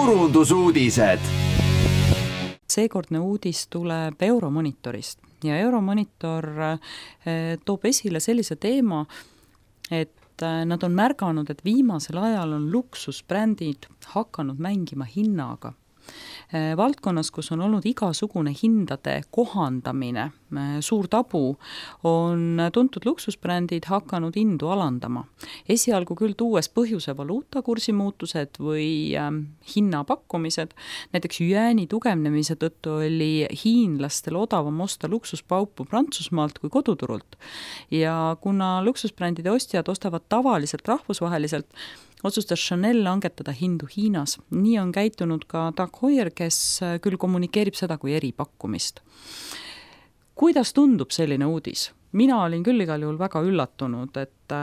turundusuudised. Seekordne uudis tuleb Euromonitorist ja Euromonitor toob esile sellise teema, et nad on märganud, et viimasel ajal on luksusbrändid hakanud mängima hinnaga. Valdkonnas, kus on olnud igasugune hindade kohandamine, suur tabu, on tuntud luksusbrändid hakanud hindu alandama. Esialgu küll tuues põhjuse valuutakursi muutused või hinnapakkumised, näiteks jüääni tugevnemise tõttu oli hiinlastel odavam osta luksuspaupu Prantsusmaalt kui koduturult. Ja kuna luksusbrändide ostjad ostavad tavaliselt rahvusvaheliselt, otsustas Chanel langetada hindu Hiinas. Nii on käitunud ka Tag Heuer, kes küll kommunikeerib seda kui eripakkumist. Kuidas tundub selline uudis? Mina olin küll igal juhul väga üllatunud, et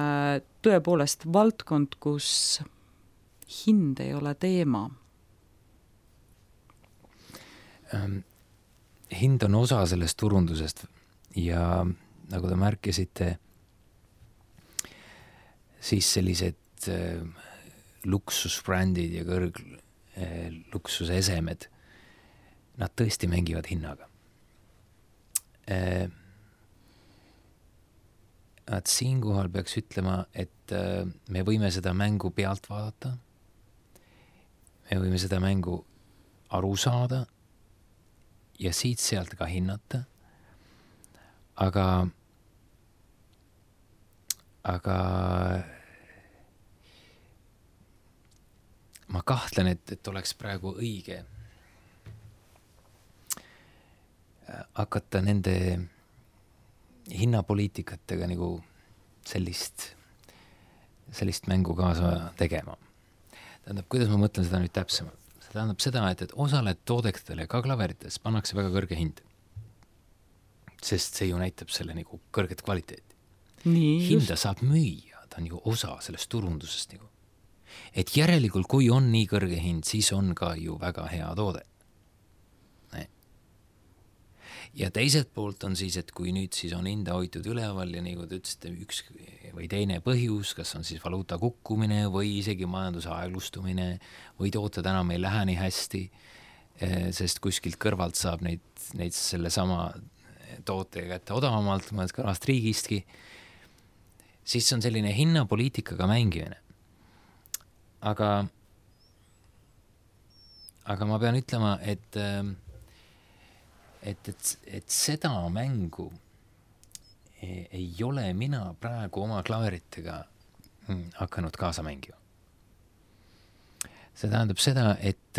tõepoolest valdkond, kus hind ei ole teema. Hind on osa sellest turundusest ja nagu te märkisite, siis sellised luksusbrändid ja luksusesemed, nad tõesti mängivad hinnaga. Siinkohal peaks ütlema, et me võime seda mängu pealt vaadata, me võime seda mängu aru saada ja siit-sealt ka hinnata, aga ma kahtlen, et oleks praegu õige hakata nende hinnapoliitikatega nagu sellist mängu kaasa tegema. Tähendab, kuidas ma mõtlen seda nüüd täpsemalt? See tähendab seda, et osale toodetele, ka klaverites, pannakse väga kõrge hind. Sest see ju näitab selle nagu kõrget kvaliteeti. Hinda saab müüa, ta on ju osa sellest turundusest nagu. Et järelikult, kui on nii kõrge hind, siis on ka ju väga hea toode. Ja teiselt poolt on siis, et kui nüüd siis on hinda hoitud üleval ja nagu te ütlesite, üks või teine põhjus, kas on siis valuuta kukkumine või isegi majanduse aeglustumine või tooted enam ei lähe nii hästi, sest kuskilt kõrvalt saab neid selle sama tootega kätte odavamalt, mõned kõrvast riigistki, siis on selline hinnapoliitikaga mängimine. Aga ma pean ütlema, et seda mängu ei ole mina praegu oma klaveritega hakanud kaasa mängima. See tähendab seda, et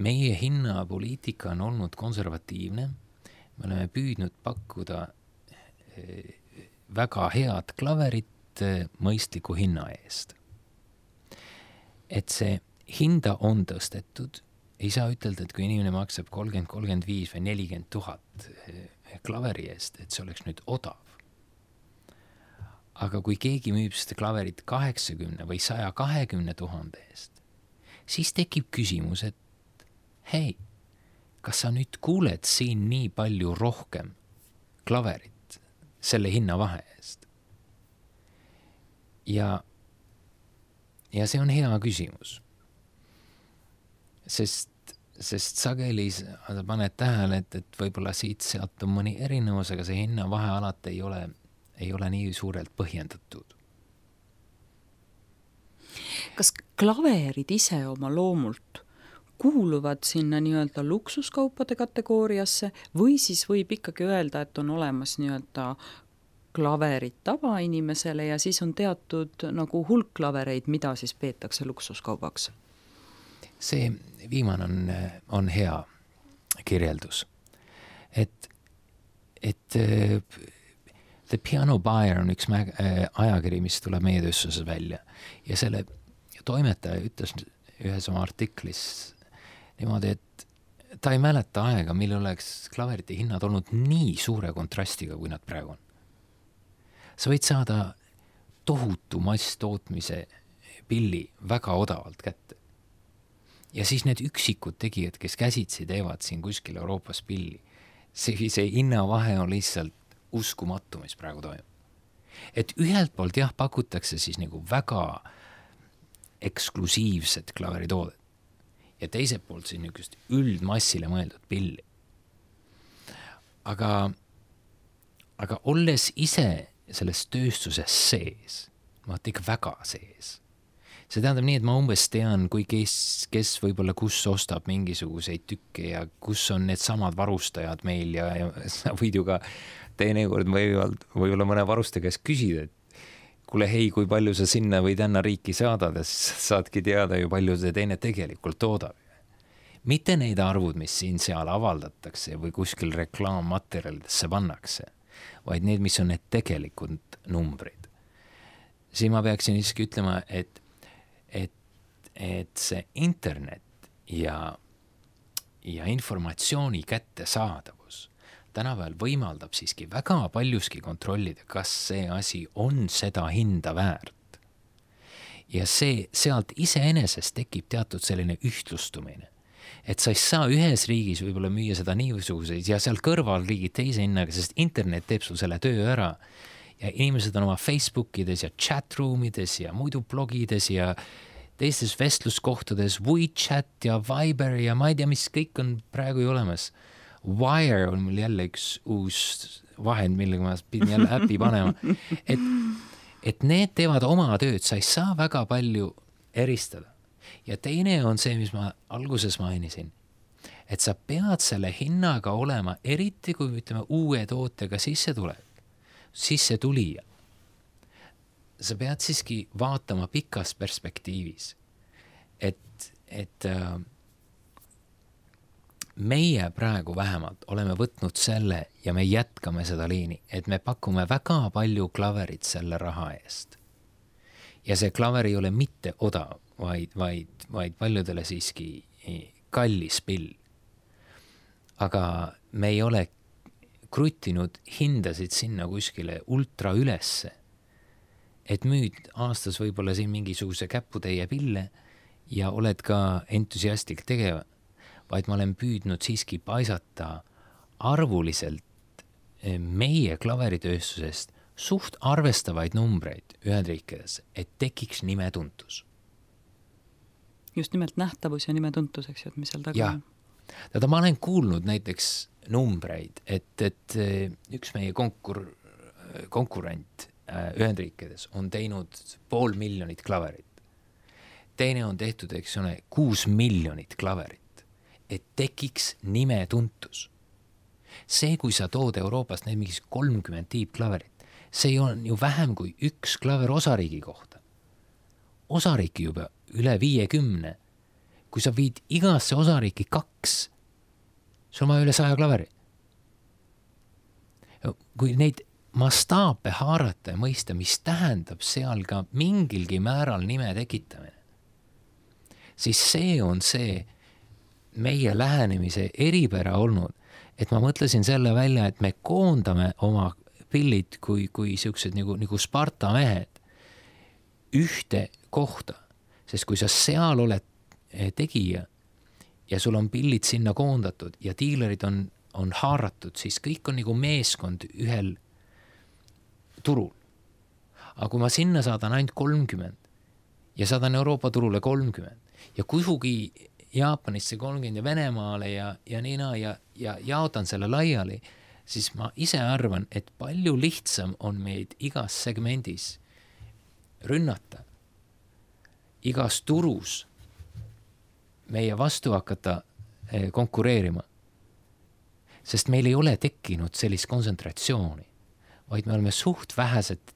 meie hinnapoliitika on olnud konservatiivne. Me oleme püüdnud pakkuda väga head klaverit mõistliku hinna eest. Et see hinda on tõstetud, ei saa ütelda, et kui inimene maksab 30, 35 või 40 000 klaveri eest, et see oleks nüüd odav. Aga kui keegi müüb seda klaverit 80 või 120 000 eest, siis tekib küsimus, et hei, kas sa nüüd kuuled siin nii palju rohkem klaverit selle hinna vahe eest? Ja see on hea küsimus. Sest sageli sa paned tähele, et võib-olla siit-sealt on mõni erinevus, aga see hinna vahe alati ei ole nii suurelt põhjendatud. Kas klaverid ise oma loomult kuuluvad sinna nii-öelda luksuskaupade kategooriasse või siis võib ikkagi öelda, et on olemas nii-öelda klaverid tavainimesele ja siis on teatud nagu hulk klavereid, mida siis peetakse luksuskaubaks? See viimane on hea kirjeldus. Et The Piano Buyer on üks ajakiri, mis tuleb meie tööstuses välja. Ja selle toimetaja ütles ühes oma artiklis niimoodi, et ta ei mäleta aega, mil oleks klaverite hinnad olnud nii suure kontrastiga, kui nad praegu on. Sa võid saada tohutu masstootmise pilli väga odavalt kätte. Ja siis need üksikud tegijad, kes käsitsi teevad siin kuskil Euroopas pilli, see hinnavahe on lihtsalt uskumatu, mis praegu toimub. Et ühelt poolt jah, pakutakse siis nagu väga eksklusiivset klaveritoodet. Ja teiselt poolt siin niisugust üldmassile mõeldud pilli. Aga olles ise selles tööstuses sees, ma olen ikka väga sees. See tähendab nii, et ma umbes tean, kui kes võib-olla kus ostab mingisuguseid tükke ja kus on need samad varustajad meil ja sa võid ju ka teinekord võib-olla mõne varustaja käest küsida, et kuule hei, kui palju sa sinna või tänna riiki saadad ja saadki teada ju palju see teine tegelikult toodab. Mitte neid arvud, mis siin-seal avaldatakse või kuskil reklaammaterjalidesse pannakse, vaid need, mis on need tegelikult numbrid. Siin ma peaksin isegi ütlema, et see internet ja informatsiooni kättesaadavus tänapäeval võimaldab siiski väga paljuski kontrollida, kas see asi on seda hinda väärt. Ja sealt iseenesest tekib teatud selline ühtlustumine, et sa ei saa ühes riigis võib-olla müüa seda niisuguseid ja seal kõrval riigid teise hinnaga, sest internet teeb sul selle töö ära ja inimesed on oma Facebookides ja chatroomides ja muidu blogides ja teistes vestluskohtades, WeChat ja Viber ja ma ei tea, mis kõik on praegu ju olemas. Wire on mul jälle üks uus vahend, millega ma pidin jälle äppi panema. Et need teevad oma tööd, sa ei saa väga palju eristada. Ja teine on see, mis ma alguses mainisin, et sa pead selle hinnaga olema, eriti kui ütleme uue tootega sisse tulija. Sa pead siiski vaatama pikas perspektiivis, et meie praegu vähemalt oleme võtnud selle ja me jätkame seda liini, et me pakume väga palju klaverit selle raha eest. Ja see klaver ei ole mitte odav, vaid paljudele siiski kallis pill. Aga me ei ole kruttinud hindasid sinna kuskile ultra ülesse, et müüd aastas võib-olla siin mingisuguse käputäie pille ja oled ka entusiastlik tegeva, vaid ma olen püüdnud siiski paisata arvuliselt meie klaveritööstusest suht arvestavaid numbreid Ühendriikides, et tekiks nimetuntus. Just nimelt nähtavus ja nimetuntus, eks ju, et mis seal taga on. Täda ma olen kuulnud näiteks numbreid, et üks meie konkurent Ühendriikides on teinud 500,000 klaverit. Teine on tehtud, eks ole, 6 miljonit klaverit, et tekiks nimetuntus. See, kui sa tood Euroopast need mingis 30 tiibklaverit, see on ju vähem kui üks klaver osariigi kohta. Osariiki juba üle 50. Kui sa viid igasse osariiki 2, sul on üle 100 klaveri. Kui neid mastaape haarata ja mõista, mis tähendab seal ka mingilgi määral nime tekitamine, siis see on see meie lähenemise eripära olnud, et ma mõtlesin selle välja, et me koondame oma pillid kui siuksed nagu Sparta mehed ühte kohta, sest kui sa seal oled tegija ja sul on pillid sinna koondatud ja diilerid on haaratud, siis kõik on nagu meeskond ühel turul. Aga kui ma sinna saadan ainult 30 ja saadan Euroopa turule 30 ja kuhugi Jaapanisse 30 ja Venemaale ja niina ja jaotan selle laiali, siis ma ise arvan, et palju lihtsam on meid igas segmendis rünnata, igas turus meie vastu hakata konkureerima. Sest meil ei ole tekkinud sellist kontsentratsiooni, vaid me oleme suht vähesed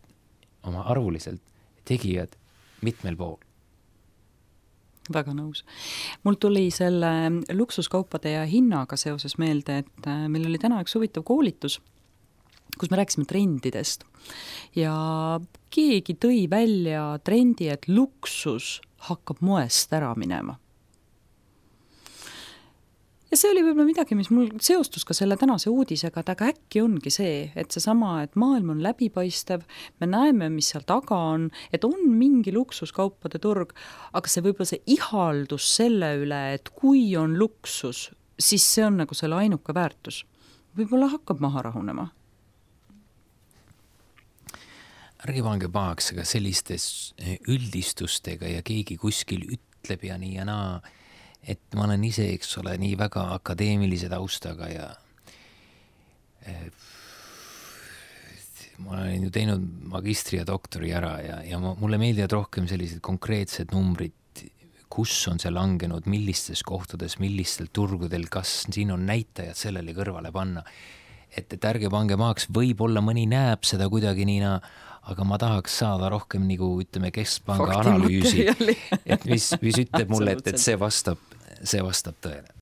oma arvuliselt tegijad mitmel pool. Väga nõus. Mul tuli selle luksuskaupade ja hinnaga seoses meelde, et meil oli täna üks huvitav koolitus, kus me rääkisime trendidest. Ja keegi tõi välja trendi, et luksus hakkab moest ära minema. Ja see oli võib-olla midagi, mis mul seostus ka selle tänase uudisega, et aga äkki ongi see, et seesama, et maailm on läbipaistev, me näeme, mis seal taga on, et on mingi luksuskaupade turg, aga see võib-olla see ihaldus selle üle, et kui on luksus, siis see on nagu selle ainuke väärtus. Võib-olla hakkab maha rahunema. ärge pange pahaks, aga sellistes üldistustega ja keegi kuskil ütleb ja nii ja naa, et ma olen ise, eks ole, nii väga akadeemilise taustaga ja ma olen ju teinud magistri ja doktori ära ja mulle meeldivad rohkem sellised konkreetsed numbrid, kus on see langenud, millistes kohtades, millistel turgudel, kas siin on näitajad sellele kõrvale panna. Et ärge pange maaks, võib-olla mõni näeb seda kuidagi niina, aga ma tahaks saada rohkem nagu, ütleme, keskpanga analüüsi, et mis ütleb mulle, et see vastab tõele.